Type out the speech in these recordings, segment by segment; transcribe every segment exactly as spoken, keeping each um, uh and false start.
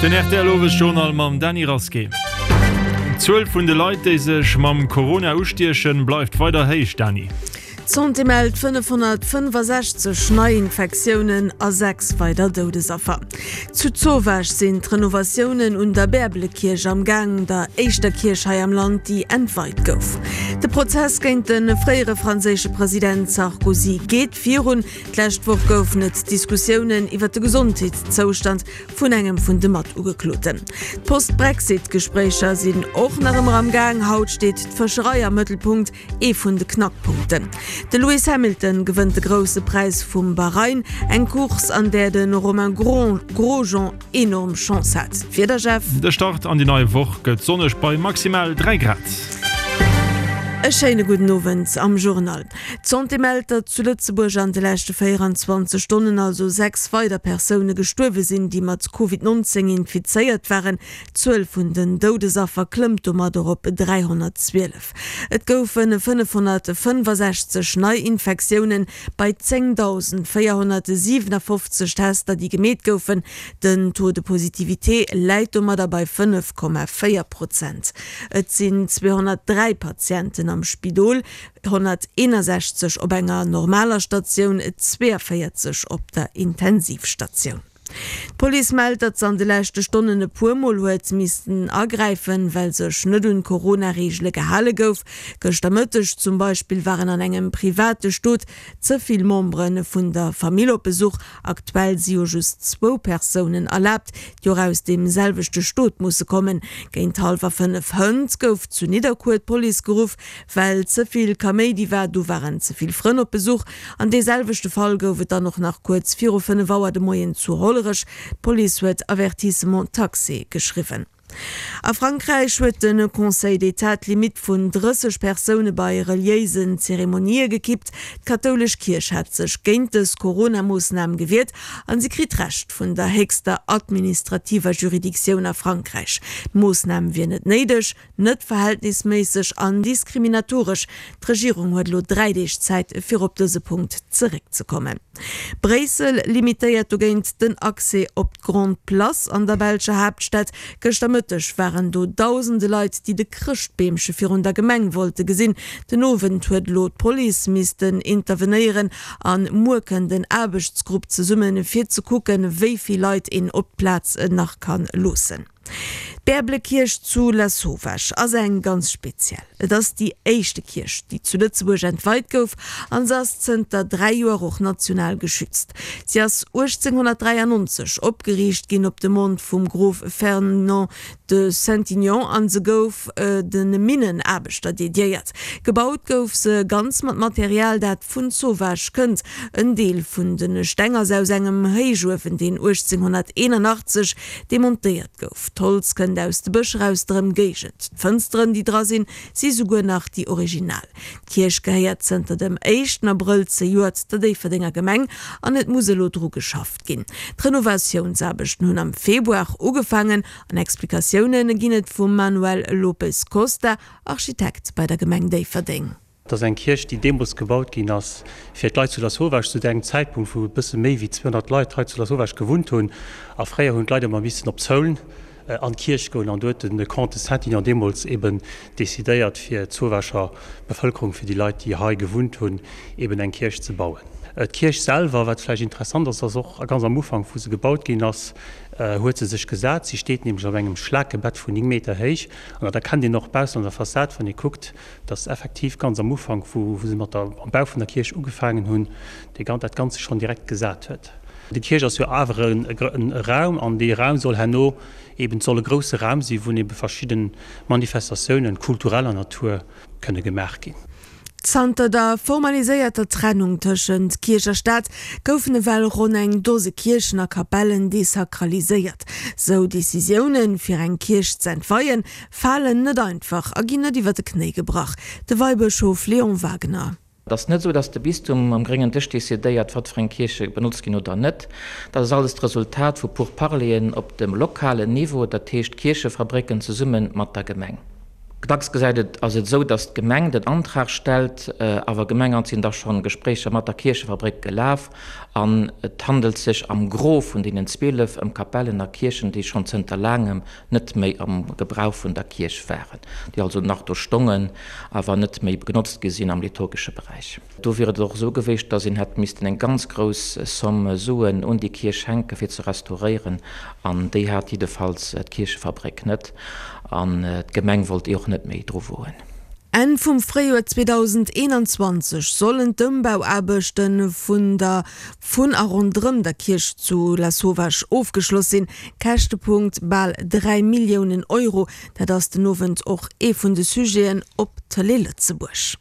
Den R T L Owesjournal mam Dany Rasqué. D'Zuel vun de Leit, déi sech mam Corona ustiechen, bleift weider héich, Dany. D'Santé mellt fënnefhonnertfënnefasechzeg Neiinfektiounen a sechs weider Doudesaffer. Zu Zowaasch sinn d'Renovatiounen un der Bäerbelekierch am Gaang, der éischter Kierch hei am Land, déi entweit gouf. De Prozess géint de fréiere franséische President Sarkozy geet virun. D'lescht Woch goufen et Diskussiounen iwwer de Gesondheetszoustand vun engem vun de Matugekloten. D'Post-Brexit-Gespréicher sinn och nach ëmmer am Gaang. Haut steet d'Fëscherei am Mëttelpunkt, ee vun de Knackpunkten. De Lewis Hamilton gewënnt de Grousse Präis vum Bahrain, eng Course an där de Romain Grosjean enorm Chance hat. D'Wieder, Jeff? De Start an déi nei Woch gëtt sonneg bei maximal dräi Grad. E schéine gudden Owend am Journal. D'Santé mellt, datt zu Lëtzebuerg an de leschte véieranzwanzeg Stonnen also sechs weider Persoune gestuerwe sinn, déi mat Covid nonzéng infizéiert waren. D'Zuel vun den Doudesaffer klëmmt domadder op dräihonnertzwielef. Et goufe fënnefhonnertfënnefasechzeg Neiinfektiounen bei zéngdausendvéierhonnertsiwenafofzeg Tester, déi gemeet goufen. Den Taux de positivité läit domadder bei fënnef Komma véier Prozent. Et sinn zweehonnertdräi Patienten am Spidol, honnerteenasechzeg op enger normaler Statioun, zweeëvéierzeg op der Intensivstatioun. D'Police mellt, datt se an de leschte Stonnen e puer Mol huet missten agräifen, well sech net un d'Corona-Reegele gehale gouf. Gëschter Mëtteg zum Beispill waren an engem private Stot ze vill Membere vun der Famill op Besuch. Aktuell si jo just zwou Persounen erlaabt, déi och aus deem selwechte Stot musse kommen. Géint hallwer fënnef hënt gouf zu Nidderkuer d'Police geruff, well ze vill Kaméidi war. Do waren ze vill Frënn op Besuch. An dee selwechte Fall gouf et dann och nach kuerz viru fënnef Auer de Moien zu Hollerech. D'Police huet Avertissement taxé geschriwwen. A Frankräich huet de Conseil d'État d'Limitt vun drësseg Persoune bei reliéisen Zeremonië gekippt. D'kathoulesch Kierch hat sech géint dës Corona-Moossnam gewiert an si kritt Recht vun der héchster administrativer Juridictioun a Frankräich. D'Moossnam wier net néideg, net verhältnisméisseg an diskriminatoresch. D'Regierung huet elo dräi Deeg Zäit, fir op dëse Punkt zeréckzekommen. Bréissel limitéiert dogéint den Accès op d'Grande Place an der belscher Haaptstad. Gëschter Mëtteg waren do dausende Leit, déi de Chrëschtbeemche virun der Gemeng wollte gesinn. Den Owend huet elo d'Police missten intervenéieren an muer kënnt en Aarbechtsgrupp zesummen, fir ze kucken, wéi vill Leit een op d'Plaz nach ka loossen. D'Bäerblekierch zu Lasauvage ass eng ganz speziell. Et ass déi éischte Kierch, déi zu Lëtzebuerg entweit gouf an se ass zënter dräi Joer och national geschützt. Si ass uechtzénghonnertdräiannonzeg opgeriicht ginn op Demande vum Grof Fernand de Saintignon an se gouf de Minnenaarbechter dediéiert. Gebaut gouf se ganz mat Material, dat vun Zowaasch kënnt. En Deel vun de Steng ass aus engem Héichuewen, deen uechtzénghonnerteenanachtzeg demontéiert gouf. D'Holz kënnt aus de Bëscher aus der Ëmgéigend. D'Fënsteren, déi dra sinn, si souguer nach déi original. D'Kierch gehéiert zënter dem éischten Abrëll zejoert der Déifferdenger Gemeng an et muss elo dru geschafft ginn. D'Renovatiounsaarbechten hunn am Februar ugefaangen an Explikatioune ginn et vum Manuel Lopes Costa, Architekt bei der Gemeng Déifferdeng. Et ass eng Kierch, déi deemools gebaut ginn ass, fir d'Leit zu Lasauvage, zu engem Zäitpunkt, wou e bësse méi wéi zweehonnert Leit hei zu Lasauvage gewunnt hunn. A fréier hunn d'Leit ëmmer missen op Saulnes an d'Kierch goen. An do huet de Comte de Saintignon deemools eben decidéiert, fir d'Zowaacher Bevëlkerung, fir déi Leit, déi hei gewunnt hunn, eben eng Kierch ze bauen. D'Kierch selwer, wat vläicht interessant ass, ass och ganz am Ufank, wou se gebaut ginn ass, huet se sech gesat. Si steet nämlech op engem Schlakebett vun néng Meter héich. An dat erkennt een och baussen an der Fassad, wann ee kuckt, dass effektiv ganz am Ufank, wou se mat der am Bau vun der Kierch ugefaangen hunn, dee dat Ganze schonn direkt gesat huet. Déi Kierch ass jo awer e Raum an dee Raum soll herno eben, et soll e grousse Raum sinn, wou ebe verschidde Manifestatiounen kultureller Natur kënne gemaach ginn. Zanter der formaliséierter Trennung tëschent Kierch a Staat goufen ewell ronn eng Dose Kierchen a Kapellen desakraliséiert. Sou Decisiounen, fir eng Kierch ze entweien, falen net einfach a ginn net iwwer de Knéi gebrach. De Weibëschof Léon Wagener. Et ass net esou, datt de Bistum am gréngen Dësch decidéiert, wat fir eng Kierche benotzt ginn oder net. Dat ass alles d'Resultat vu Pourparleren op dem lokalen Niveau, dat heescht d'Kierchefabrécken zesumme mat der Gemeng. Dacks gesäit et, ass et esou, datt d'Gemeng den Antrag stellt, awer Gemengamt sinn da schonn Gespréicher mat der Kierchefabréck gelaf an et handelt sech am Gros vun deenen zwielef ëm Kapellen a Kierchen, déi schonn zënter laangem net méi am Gebrauch vun der Kierch waren, déi also nach do stongen, awer net méi genotzt gi sinn am liturgesche Beräich. Do wier et och esou gewiescht, datt een hätt missten eng ganz grouss Somme Suen un déi Kierch schenken, fir ze restauréieren, an déi hat jiddefalls d'Kierchefabréck net. An d'Gemeng wollt och net méi dru woen. Enn vum Fréijoer zweedausendeenanzwanzeg sollen d'Ëmbauaarbechte vun der vun a ronderëm der Kierch zu Lasauvage ofgeschloss sinn. Käschtepunkt, bal dräi Milliounen Euro. Dat ass den Owend och ee vun de Sujeten op Tëlee Lëtzebuerg.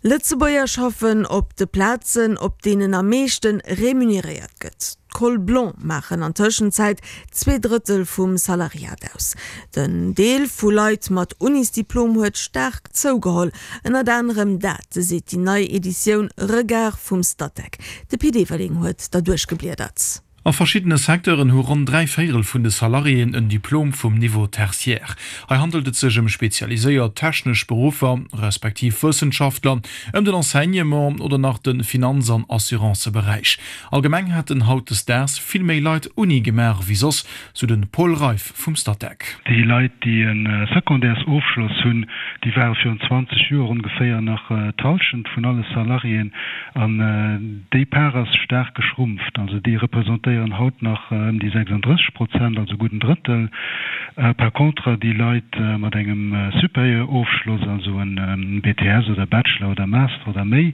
Lëtzebuerger schaffen op de Plazen, op deenen am meeschte remuneréiert gëtt. D'Cols blancs maachen an Tëschenzäit zwee Drëttel vum Salariat aus. Den Deel vu Leit mat Unisdiplom huet staark zougeholl. Ënnert anerem dat seet déi nei Editioun Regard vum Statec. De Pit Everling huet derduerch gebliedert. A verschiddene Secteuren hu ronn dräi Véierel vun de Salariéen en Diplom vum Niveau tertiaire. Hei handelt et sech ëm spezialiséiert technesch Beruffer, respektiv Wëssenschaftler, ëm den Enseignement oder nach de Finanz an Assuranceberäich. Allgemeng hätten hautdesdaags vill méi Leit Uni gemaach wéi soss, sou de Paul Reiff vum Statec. Déi Leit, déi e Secondaires-Ofschloss hunn, déi ware virun zwanzeg Joer ongeféier nach d'Hallschent vun alle Salariéen an déi Part ass staark geschrumpft. Also déi representéieren haut nach ëm déi sechsunddrësseg Prozent, also gutt en Drëttel. Par contre déi Leit mat engem Supérieur-Ofschloss, also en B T S oder Bachelor oder Master oder méi,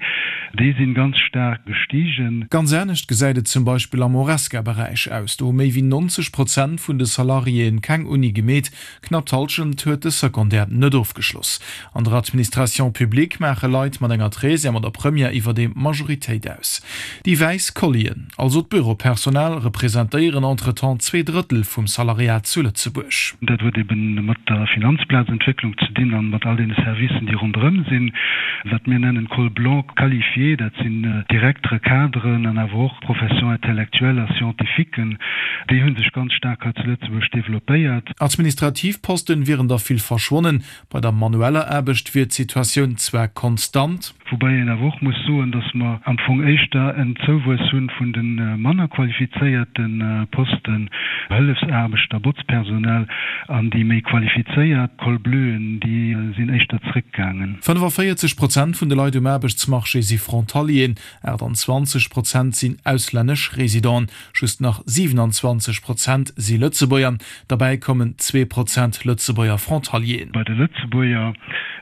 déi sinn ganz staark gestigen. Ganz anescht gesäit et zum Beispill am Horesca-Beräich aus. Do hu méi wéi neunzeg Prozent vun de Salariéen keng Uni gemeet, knapp d'Hallschent huet de Secondaire net ofgeschloss. An der Administration publique maache Leit mat enger Treizième oder Première iwwerdeem d'Majoritéit aus. Déi wäiss Kollien, also d'Büropersonal, representéieren entretemps zwee Drëttel vum Salariat zu Lëtzebuerg. Dat huet eben mat der Finanzplazentwécklung ze dinn an mat all deene Servicen, déi ronderëm sinn. Wat mir nennen Col blanc qualifié, dat sinn Direktere, Cadren an awer och Professions intellectuelles a scientifiquen, déi hu sech ganz staark hei zu Lëtzebuerg developpéiert. Administrativ Posten wieren der vill verschwonnen, bei der manueller Aarbecht wier d'Situatioun zwar konstant. Woubäi een awer och muss soen, dass mer am Fong éischter en Zouwuess hu vun de manner qualifizéierte Posten, Hëllefsaarbechter, Botzpersonal, an déi méi qualifizéiert Col bleuen, déi sinn éischter zréckgaangen. fënnefaféierzeg Prozent vun de Leit um Aarbechtsmarché si Frontalieren, aachtanzwanzeg Prozent sinn auslännesch Residenten, just nach siewenanzwanzeg Prozent si Lëtzebuerger. Derbäi kommen zwee Prozent Lëtzebuerger Frontalieren. Bei de Lëtzebuerger,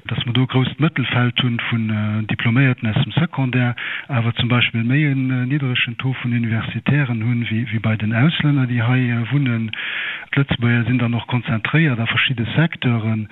dass mer do e grousst Mëttelfeld hu vun Diploméierten aus dem Secondaire, awer zum Beispill méi en niddregen Taux vun Universitären hunn, wéi bei den Auslänner, déi hei wunnen. D'Lëtzebuerger sinn dann och konzentréiert a verschidde Secteuren,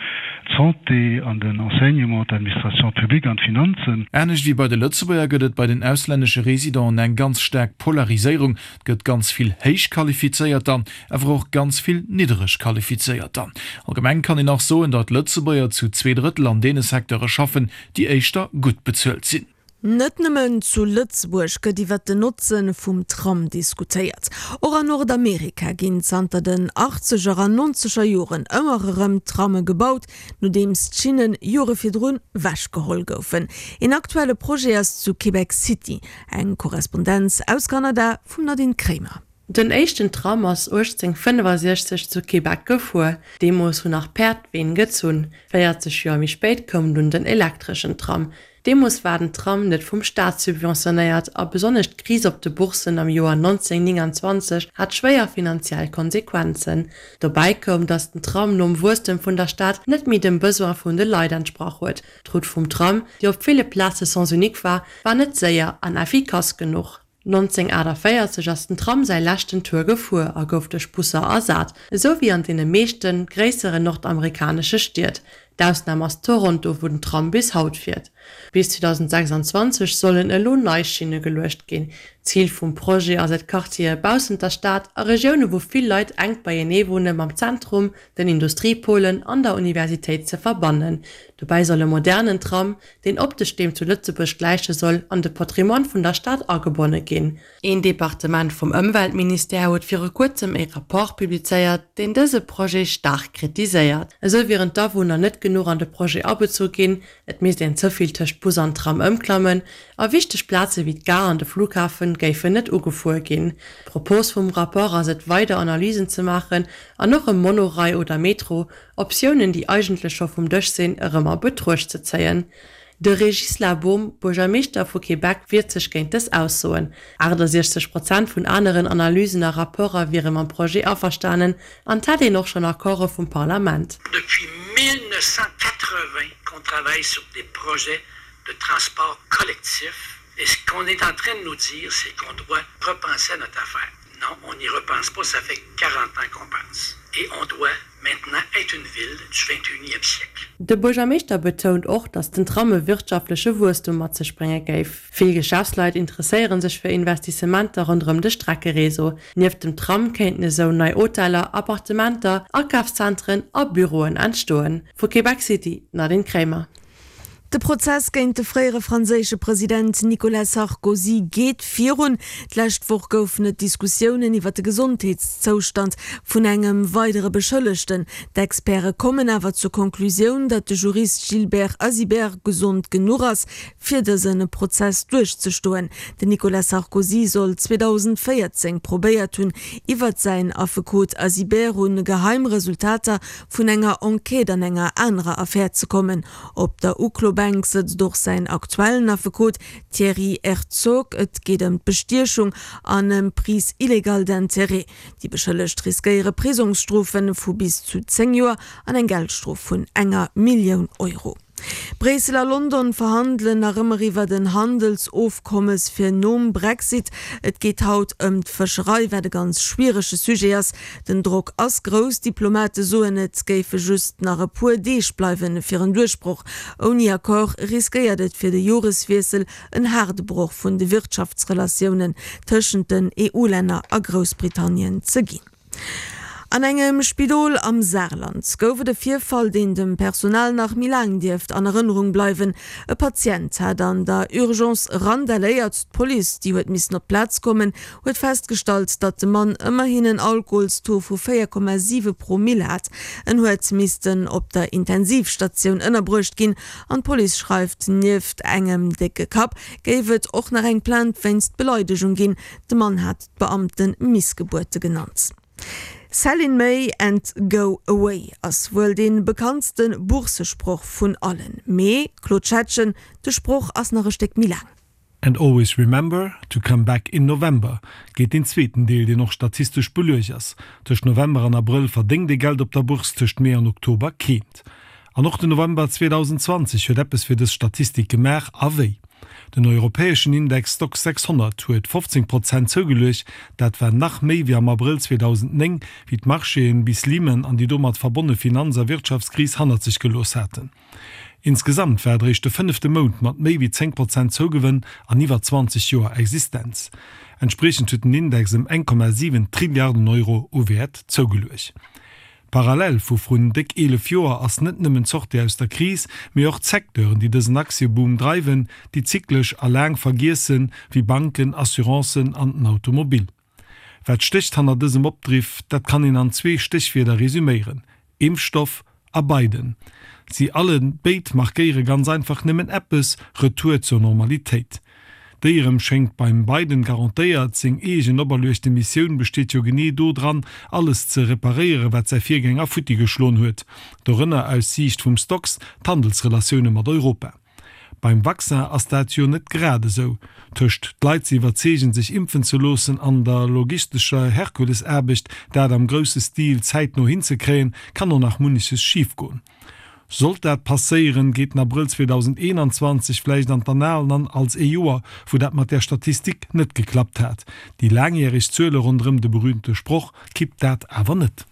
d'Santé an den Enseignement, d'Administration publique an d'Finanzen. Anescht wéi bei de Lëtzebuerger gëtt et bei den auslännesche Residenten eng ganz staark Polariséierung. Et gëtt ganz vill Héichqualifizéierter, awer och ganz vill Nidderegqualifizéierter. Allgemeng kann een nach soen, datt Lëtzebuerger zu zwee Drëttel an deene Secteure schaffen, déi éischter gutt bezuelt sinn. Net nëmmen zu Lëtzebuerg gëtt iwwer den Notze vum Tram diskutéiert. Och an Nordamerika ginn zanter den achtzeger an nonzeger Joren ëmmer erëm Tramme gebaut, nodeems d'Schinnen Jore virdrun wechgeholl goufen. Een aktuelle Projet ass zu Québec City. Eng Korrespondenz aus Kanada vum Nadine Kremer. Den éischten Tram ass uechtzénghonnertfënnefasechzeg zu Québec gefuer. Deemools hunn nach Päerd d'Ween gezunn. Véierzeg Joer méi spéit koum dunn den elektreschen Tram. Deemools war den Tram net vum Staat subventionéiert a besonnesch d'Kris op de Bourssen am Joer nonzénhonnertnénganzwanzeg hat schwéier finanziell Konsequenzen. Dobäi koum, datt den Tram nom Wuesstem vun der Stad net méi dem Besoin vun de Leit entsprach huet. D'Route vum Tram, déi op ville Plaze Sens unique war, war net séier an effikass genuch. nonzénhonnertaachtavéierzeg ass den Tram säi leschten Tour gefuer a gouf duerch Busser ersat, esou wéi an deene meeschte gréisseren nordamerikanesche Stied. D'Ausnam ass Toronto, wou den Tram bis haut fiert. Bis zweedausendsechsanzwanzeg sollen elo nei Schinne geluecht ginn. Zil vum Projet ass et, Quartiere baussent der Stad a Regioune wou vill Leit enk beienee wunne mam Zentrum, den Industriepolen an der Universitéit ze verbannen. Dobäi soll e modernen Tram, deen optesch deem zu Lëtzebuerg gläiche soll, an de Patrimoine vun der Stad agebonne ginn. Een Departement vum Ëmweltministère huet viru kuerzem ee Rapport publizéiert, deen dëse Projet staark kritiséiert. Esou wieren d'Awunner net genuch an de Projet abezu ginn, et misst een ze vill tëscht Bus an Tram ëmklammen a wichteg Plaze wéi d'Gare an de Flughafen géifen net ugefuer ginn. D'Propos vum Rapport ass et, weider Analysen ze maachen an och e Monorail oder Metro, Optiounen, déi eigentlech scho vum Dësch sinn, erëm a Betruecht ze zéien. De Régis Labeaume, Buergermeeschter vu Québec, wiert sech géint dës Aussoen. achtasiechzeg Prozent vun aneren Analysen a Rapporter wiere mam Projet averstanen an 't hätt een och schonn Accorde vum Parlament. Depuis mille neuf cent quatre-vingts qu'on travaille sur des projets de transport collectif et ce qu'on est en train de nous dire, c'est qu'on doit repenser à notre affaire. Non, on n'y repense pas, ça fait quarante ans qu'on pense. Et on doit maintenant être une ville du vingt et unième siècle. De Buergermeeschter betount och, datt den Tram e wirtschaftleche Wuesstum mat sech brénge géif. Vill Geschäftsleit interesséiere sech fir Investissementer ronderëm de Streckereseau. Nieft dem Tram kéinten esou nei Hoteller, Appartementer, Akafszentren a Büroen entstoen. Vu Québec City, Nadine Kremer. De Prozess géint de fréiere franséische President Nicolas Sarkozy geet virun. D'lescht Woch goufen et Diskussiounen iwwer de Gesondheetszoustand vun engem weidere Beschëllegten. D'Experte kommen awer zur Konklusioun, datt de Jurist Gilbert Azibert gesond genuch ass, fir dëse Prozess duerchzestoen. Den Nicolas Sarkozy soll zweedausendvéierzéng probéiert hunn, iwwer säin Affekot Azibert un geheim Resultater vun enger Enquête an enger anerer Affär ze kommen. Op der Uklo-Bänk sëtzt och säin aktuellen Affekot Thierry Herzog. Et geet ëm d'Bestiechung an ëm Prise illégale d'intérêts. Déi Beschëllegt riskéiere Prisongsstrofe vu bis zu zéng Joer an eng Geldstrof vun enger Millioun Euro. Bréissel a London verhandelen nach ëmmer iwwert en Handelsofkommes fir nom Brexit. Et geet haut ëm d'Fëscherei, wat e ganz schwierege Sujet ass. Den Drock ass grouss, Diplomate soen, et géife just nach e puer Deeg bleiwen fir en Duerchbroch. Ouni Accord riskéiert et fir de Joreswiessel en haarde Broch vun de Wirtschaftsrelatiounen tëschent den E U-Länner a Groussbritannien ze ginn. An engem Spidol am Saarland gouf et e Virfall, deen dem Personal nach méi laang dierft an Erënnerung bleiwen. E Patient hat an der Urgence randaléiert. D'Police, déi huet missen op d'Plaz kommen, huet festgestallt, datt de Mann ëmmerhin en Alkoholstaux vu véier Komma siwe Promill hat. En huet missten op der Intensivstatioun ënnerbruecht ginn an d'Police schreift, nieft engem décke Kapp géif et och nach eng Plainte wéinst Beleidegung ginn. De Mann hat d'Beamte Missgebuerte genannt. Sell in May and go away ass wuel dee bekanntste Boursesproch vun allen. Mee, Claude Schettgen, de Sproch ass nach e Stéck méi laang. And always remember to come back in November, geet deen zweeten Deel, deen och statistesch beluecht ass. Tëscht November an Abrëll verdéngt ee Geld op der Bourse, tëscht Mee an Oktober keent. An och den November zweedausendzwanzeg huet eppes fir dës Statistik gemaach, a wéi! Den europäeschen Index Stoxx sechshonnert huet fofzéng Prozent zougeluecht, dat war nach méi wéi am Abrëll zweedausendnéng, wéi d'Marchéen bis Lehman an déi domat verbonne Finanz a Wirtschaftskris hannert sech gelooss haten. Insgesamt war et eréischt de fënnefte Mount mat méi wéi zéng Prozent Zougewënn an iwwer zwanzeg Joer Existenz. Entspriechend huet den Index ëm eng Komma siwen Trilliarden Euro u Wäert zougeluecht. D'Parallel vu vrun déck eelef Joer ass net nëmmen d'Sortie aus der Kris, mee och d'Secteuren, déi dësen Aktieboom dreiwen, déi zyklesch a laang vergiessen, wéi Banken, Assurancen an den Automobil. Wat stécht hanner dësem Opdriff? Dat kann een an zwee Stéchwierder resüméieren, Impfstoff a Biden. Si alle béid markéiere ganz einfach nëmmen eppes, Retour zur Normalitéit. Déi erëm schéngt beim Biden garantéiert, seng eegen operluechte Missioun besteet jo genee do dran, alles ze reparéieren, wat säi Virgänger futti geschloen huet, dorënner aus Siicht vum Stoxx d'Handelsrelatioune mat Europa. Beim Vaccin ass dat jo net grad esou. Tëscht d'Leit ze iwwerzeegen, sech impfen ze loossen, an der logistescher Herkulesaarbecht, dat am grousse Stil zäitno hinzekréien, kann och nach munneches schifgoen. Sollt dat passéieren, geet den Abrëll zweedausendeenanzwanzeg vläicht an d'Annalen an als ee Joer, wou dat mat där Statistik net geklappt hat. Déi laangjäreg Zuele ronderëm de berüümte Sproch kippt dat awer net.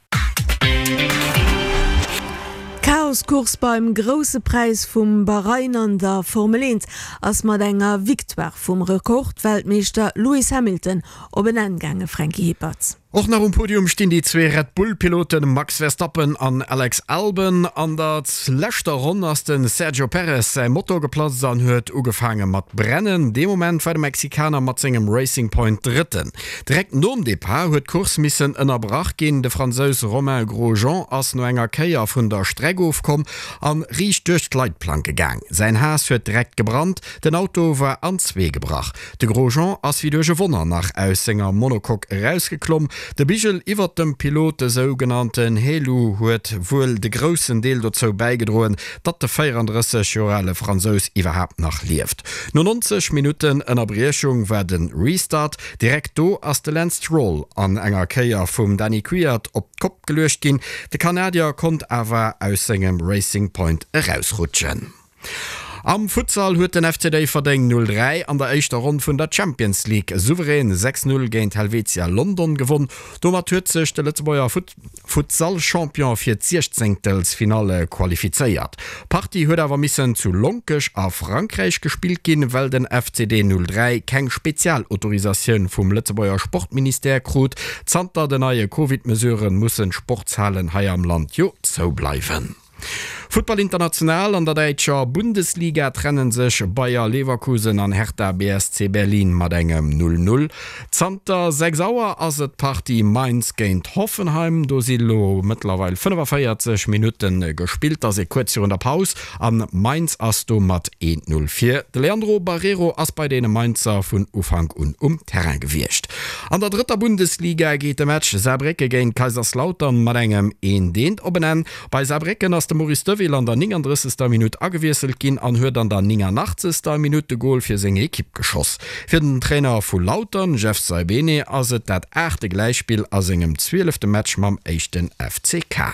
D'Chaos-Course beim Grousse Präis vum Bahrain an der Formel eent ass mat enger Victoire vum Rekordweltmeeschter Lewis Hamilton op en Enn gaangen, Franky Hippert. Och nach um Podium stinn déi zwee Red Bull-Pilote Max Verstappen an Alex Albon. An der leschter Ronn ass de Sergio Perez säi Motor geplatzt an huet ugefaange mat brennen. Dee Moment war de Mexikaner mat sengem Racing Point Drëtten. Direkt nom Depart huet d'Course missen ënnerbrach ginn. De Fransous Romain Grosjean ass no enger Kéier vun der Streck ofkomm an riicht duerch d'Leitplanke gaang. Säin Haas huet direkt gebrannt, den Auto war an zwee gebrach. De Grosjean ass wéi duerch e Wonner nach aus senger Monocoque erausgeklomm. De Bigel iwwert dem Pilot, de sougenannten Halo, huet wuel de groussen Deel dozou bäigedroen, datt de véierandrësseg Joer ale Fransous iwwerhaapt nach lieft. No neunzeg Minutten Ënnerbriechung war de Restart. Direkt do ass de Lance Stroll an enger Kéier vum Dani Kvyat op d'Kopp geluecht ginn. De Kanadier konnt awer aus sengem Racing Point erausrutschen. Am Futsal huet den F C Déifferdeng null dräi an der éischter Ronn vun der Champions League souverän sechs null géint Helvetia London gewonn. Domat huet sech de Lëtzebuerger Futsal-Champion fir d'Siechzéngtelsfinalle qualifizéiert. D'Partie huet awer missen zu Lonkech a Frankräich gespillt ginn, well den F C D null dräi keng Spezialautorisatioun vum Lëtzebuerger Sportministère krut. Zanter den neie Covid-Mesurë mussen d'Sportshalen hei am Land jo zoubleiwen. Futtball international, An der däitscher Bundesliga trennen sech Bayer Leverkusen an Hertha B S C Berlin mat engem null null. Zanter sechs Auer ass et d'Partie Mainz géint Hoffenheim. Do si lo mëttlerweil fënnefavéierzeg Minutte gespillt, ass ee kuerz virun der Paus an Mainz ass do mat eent null vir. De Leandro Barreiro ass bei deene Mainzer vun Ufank un um Terrain gewiescht. An der drëtter Bundesliga geet de Match Saarbrécke géint Kaiserslautern mat engem eent eent op en Enn. Bei Saarbrécken ass de Maurice Deville an der nénganddrëssegster Minutt agewiesselt ginn an huet an der nénganachtzeger Minutt de Gol fir seng Ekipp geschoss. Fir den Trainer vu Lautern, Jeff Saibene, ass et dat aachte Gläichspill a sengem zwielefte Match mam éischten F C K.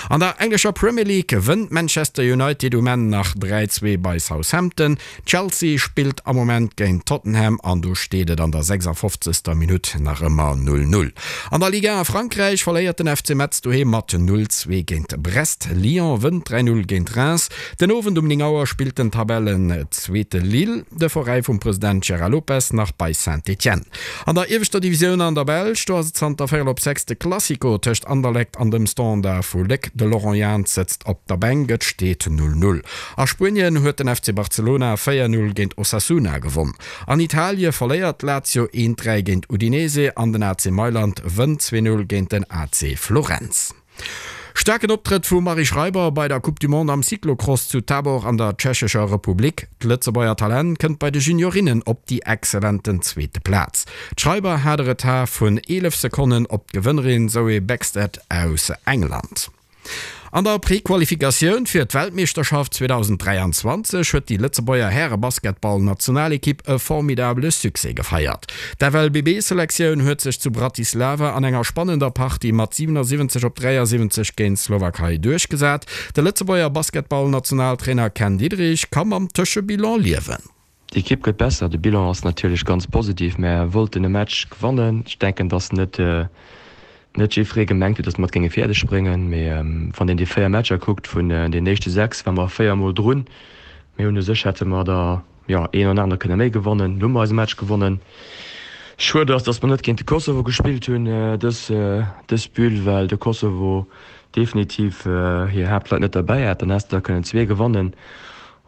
An der englescher Premier League gewënnt Manchester United um Enn nach dräi zwee bei Southampton. Chelsea spillt am Moment géint Tottenham an do steet et an der sechsundfofzegster Minutt nach ëmmer null null. An der Ligue un a Frankräich verléiert den F C Metz doheem mat null zwee géint Brest. Lyon wënnt dräi null géint Reims. Den Owend um néng Auer spillt den Tabellenzweete Lille, de Veräi vum President Gérard Lopez, nach bei Saint-Étienne. An der ieweschter Divisioun an der Belsch, do ass et zanter véierel op sechs de Classico tëscht Anderlecht an dem Standard vu Léck. De Laurent Jans sëtzt op der Bänk, et steet null null. A Spuenien huet den F C Barcelona véier null géint Osasuna gewonn. An Italie verléiert Lazio eent dräi géint Udinese an den A C Mailand wënnt zwee null géint den A C Florenz. Staarken Optrëtt vum Marie Schreiber bei der Coupe du Monde am Cyclocross zu Tabor an der Tschechescher Republik. D'Lëtzebuerger Talent kënnt bei de Juniorinnen op déi exzellenten zweete Plaz. D'Schreiber hat e Retard vun eelef Sekonnen op d'Gewënnerin Zoe Bäckstedt aus England. An der Prequalifikatioun fir d'Weltmeeschterschaft zweedausenddräianzwanzeg huet déi Lëtzebuerger Härebasketball-Nationalekipp e formidabele Succès gefeiert. D'F L B B-Selektioun huet sech zu Bratislava an enger spannender Partie mat siewenundsiwwenzeg op dräiasiwwenzeg géint d'Slowakei duerchgesat. De Lëtzebuerger Basketball-Nationaltrainer Ken Diederich ka mam Tëschebilan liewen. D'Ekipp gëtt besser, de Bilan ass natierlech ganz positiv. Mär wollten e Match gewannen. Ech denken, dass net net jiddweree gemengt huet, dass mer et géinge fäerdeg bréngen. Mee wann een déi véier Matcher kuckt, vun den éischte sechs ware mer véier Mol drun. Mir hunn u sech hätte mer der jo een an aner kënne méi gewannen. Lo hu mer eise Match gewonnen. Schued ass, dass mer net géint de Kosovo gespillt hunn dës dës Bulle, well de Kosovo definitiv hir Haaptleit net derbäi hat. Dann häss de der kënnen zwee gewannen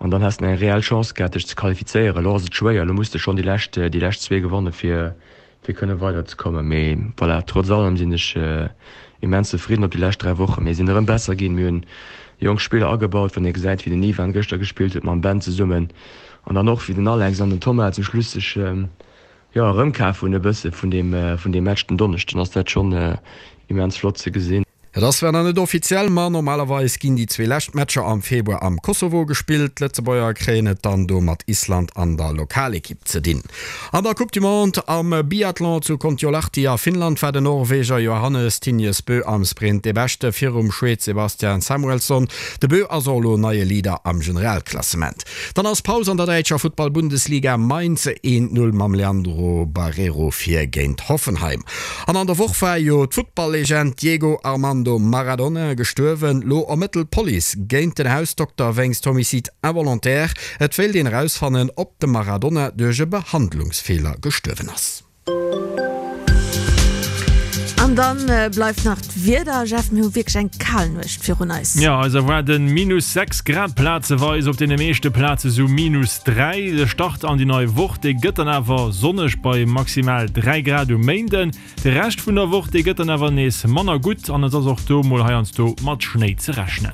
an dann häss de eng reell Chance gehat, dech ze qualifizéieren. Elo ass et schwéier, elo muss de schonn déi lescht déi lescht zwee gewanne fir fir kënne weiderzekommen. Mee voilà, trotz allem sinn ech immens zefridden op déi lescht dräi Wochen. Mir sinn erëm besser ginn, mir hunn jonk Spiller agebaut, wann ee gesäit, wéi den Ivan gëschter gespillt huet mam Ben zesummen an dann och wéi den Alex an den Thomas zum Schluss sech jo erëmkaf hunn e bësse vun deem vun deem Match den Donneschden, ass dat schonn immens flott ze gesinn. Et ass zwar nach net offiziell, ma normalerweis ginn déi zwee lescht Matcher am Februar am Kosovo gespillt. D'Lëtzebuerger kréien et dann do mat Island an der Lokalekipp ze dinn. An der Coupe du Monde am Biathlon zu Kontiolahti a Finnland war den Norweger Johannes Thingnes Bö am Sprint dee Beschte virum Schwed Sebastian Samuelsson. De Bö ass och elo neie Leader am Generalklassement. Dann ass Paus an der däitscher Futtball-Bundesliga, Mainz eent Null mam Leandro Barreiro vir géint Hoffenheim. An an der Woch war jo d'Futtball-Legend Diego Armando Armando Maradona gestuerwen. Lo ermëttelt d'Police géint den Hausdokter wéinst Homicide involontaire. Et wéilt een erausfannen, ob de Maradona duerch e Behandlungsfeeler gestuerwen ass. An dann bleift nach d'Wieder, Jeff, mir hu wierklech eng kal Nuecht virun eis. Jo, eis erwaarden minus sechs Grad plazeweis, op deene meeschte Plaze sou minus dräi. De Start an déi nei Woch, dee gëtt dann awer sonneg bei maximal dräi Grad um Méinden. De Rescht vun der Woch, dee gëtt dann awer nees manner gutt an et ass och do mol heiansdo mat Schnéi ze rechnen.